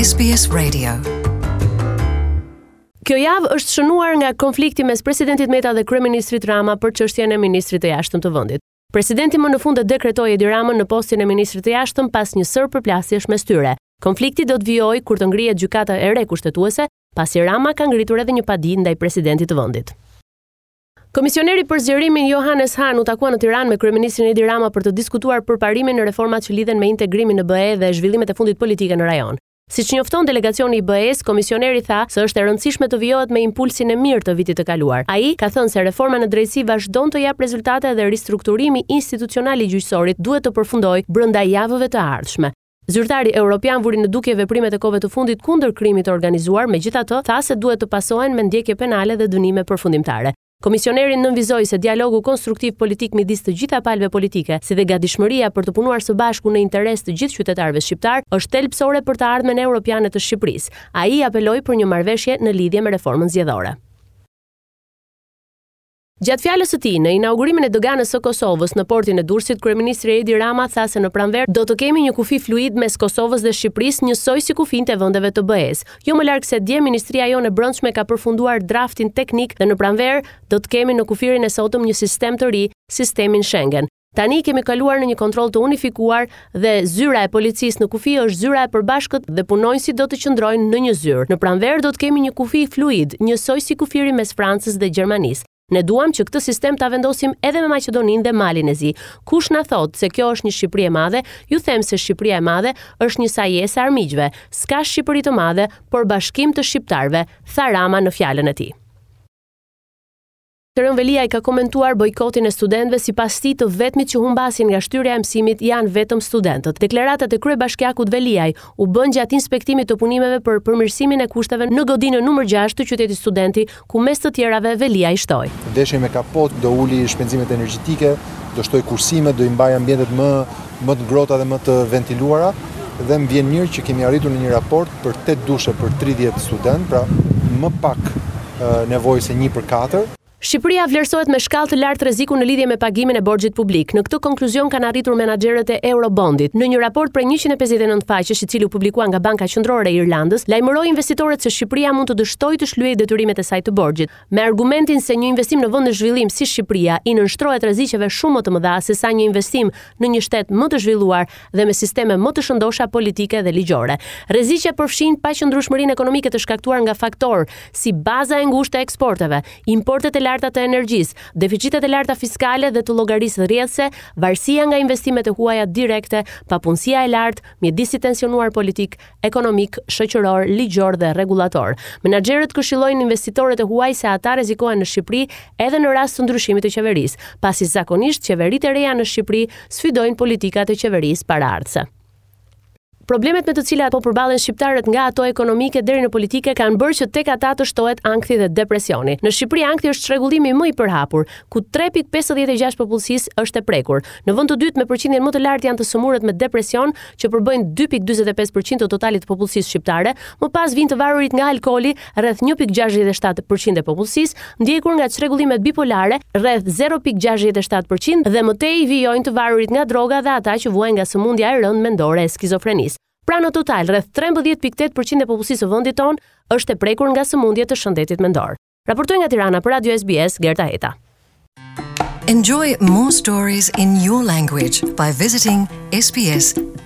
SBS Radio. Kjo javë është shënuar nga konflikti mes presidentit Meta dhe kryeministrit Rama për çështjen e ministrit të Jashtëm të vendit. Presidenti më në fund e dekretoi Edi Ramën në postin e ministrit të Jashtëm pas një sërë përplasjesh mes tyre. Konflikti do të vijojë kur të ngrihet gjykata e re kushtetuese, pasi Rama ka ngritur edhe një padi ndaj presidentit të vendit. Komisioneri për zgjerimin Johannes Hahn u takua në Tiranë me kryeministrin Edi Rama për të diskutuar përparimin në reformat që lidhen me integrimin në BE dhe zhvillimet e fundit politike në rajon. Siç njofton delegacioni i BE-së, komisioneri tha se është e rëndësishme të vijohet me impulsin e mirë të vitit të kaluar. Ai ka thënë se reforma në drejtësi vazhdon të japë rezultate dhe ristrukturimi institucional i gjyqësorit duhet të përfundojë brenda javëve të ardhshme. Zyrtari europian vuri në dukje veprimet e kohëve të fundit kundër krimit të organizuar, megjithatë, tha se duhet të pasohen me ndjekje penale dhe dënime përfundimtare. Komisioneri nënvizoi se dialogu konstruktiv politik midis të gjitha palëve politike, si dhe gatishmëria për të punuar së bashku në interes të gjithë qytetarëve shqiptarë, është thelbësore për të ardhmen europiane të Shqipërisë. Ai apeloi për një marrëveshje në lidhje me reformën zgjedhore. Gjatë fjalës së tij, në inaugurimin e doganës së Kosovës në portin e Durrësit, kryeministri Edi Rama tha se në pranverë do të kemi një kufi fluid mes Kosovës dhe Shqipërisë, njësoj si kufinjtë e vendeve të BE-së. Jo më larg se dje, Ministria jonë e Brendshme ka përfunduar draftin teknik dhe në pranverë do të kemi në kufirin e sotëm një sistem të ri, sistemin Schengen. Tani kemi kaluar në një kontroll të unifikuar dhe zyra e policisë në kufi është zyra e përbashkët dhe punonjësit do të qëndrojnë në një zyrë. Në pranverë do të kemi një kufi fluid, njësoj si kufiri mes Francës dhe Gjermanisë. Ne duam që këtë sistem ta vendosim edhe me Maqedoninë dhe Malin e Zi. Kush na thotë se kjo është një Shqipëri e madhe, ju them se Shqipëria e madhe është një sajesë e armiqve. S'ka Shqipëri të madhe, por bashkim të shqiptarëve, tha Rama në fjalën e tij. Erion Veliaj ka komentuar bojkotin e studentëve, sipas tij të vetmit që humbasin nga shtyrja e mësimit janë vetëm studentët. Deklaratat e kryebashkiakut Veliaj u bënë gjatë inspektimit të punimeve për përmirësimin e kushteve në godinën numër 6 të qytetit studenti, ku mes të tjerave Veliaj shtoi. Veshje me kapot do uli shpenzimet energjetike, do shtojë kursimet, do i mbajë ambientet më më të ngrohta dhe më të ventiluara dhe më vjen mirë që kemi arritur në një raport për 8 dushe për 30 studentë, pra më pak nevojë se 1 për 4. Shqipëria vlerësohet me shkallë të lartë rreziku në lidhje me pagimin e borxhit publik. Në këtë konkluzion kanë arritur menaxherët e Eurobondit. Në një raport prej 159 faqesh, i cili u publikua nga Banka Qendrore e Irlandës, lajmëroi investitorët se Shqipëria mund të dështojë të shlyejë detyrimet e saj të borxhit, me argumentin se një investim në vend në zhvillim si Shqipëria i nënshtrohet rreziqeve shumë më të mëdha sesa një investim në një shtet më të zhvilluar dhe me sisteme më të shëndosha politike dhe ligjore. Rreziqet përfshijnë paqëndrueshmërinë ekonomike të shkaktuar nga faktorë si baza e ngushtë e eksporteve, importet e larta të energjisë, deficitet e larta fiskale dhe të llogarisë rrjedhëse, varësia nga investimet e huaja direkte, papunësia e lartë, mjedisi i tensionuar politik, ekonomik, shoqëror, ligjor dhe rregullator. Menaxherët këshillojnë investitorët e huaj se ata rrezikohen në Shqipëri edhe në rast të ndryshimit të qeverisë, pasi zakonisht qeveritë e reja në Shqipëri sfidojnë politikat e qeverisë paraardhëse. Problemet me të cilat po përballen shqiptarët nga ato ekonomike deri në politike kanë bërë që tek ata të shtohet ankthi dhe depresioni. Në Shqipëri ankthi është çrregullimi më i përhapur, ku 3.56 popullsisë është e prekur. Në vend të dytë me përqindjen më të lartë janë të sëmurët me depresion, që përbëjnë 2.45% të totalit të popullsisë shqiptare, më pas vijnë të varurit nga alkooli, rreth 1.67% e popullsisë, ndjekur nga çrregullimet bipolare, rreth 0.67% dhe më tej vijojnë të varurit nga droga dhe ata që vuajnë nga sëmundja e rëndë mendore e skizofrenisë. Pra në total, rreth 13.8% e popullsisë së vendit tonë është e prekur nga sëmundje të shëndetit mendor. Raportoi nga Tirana për Radio SBS, Gerta Heta. Enjoy more stories in your language by visiting sbs.com.au.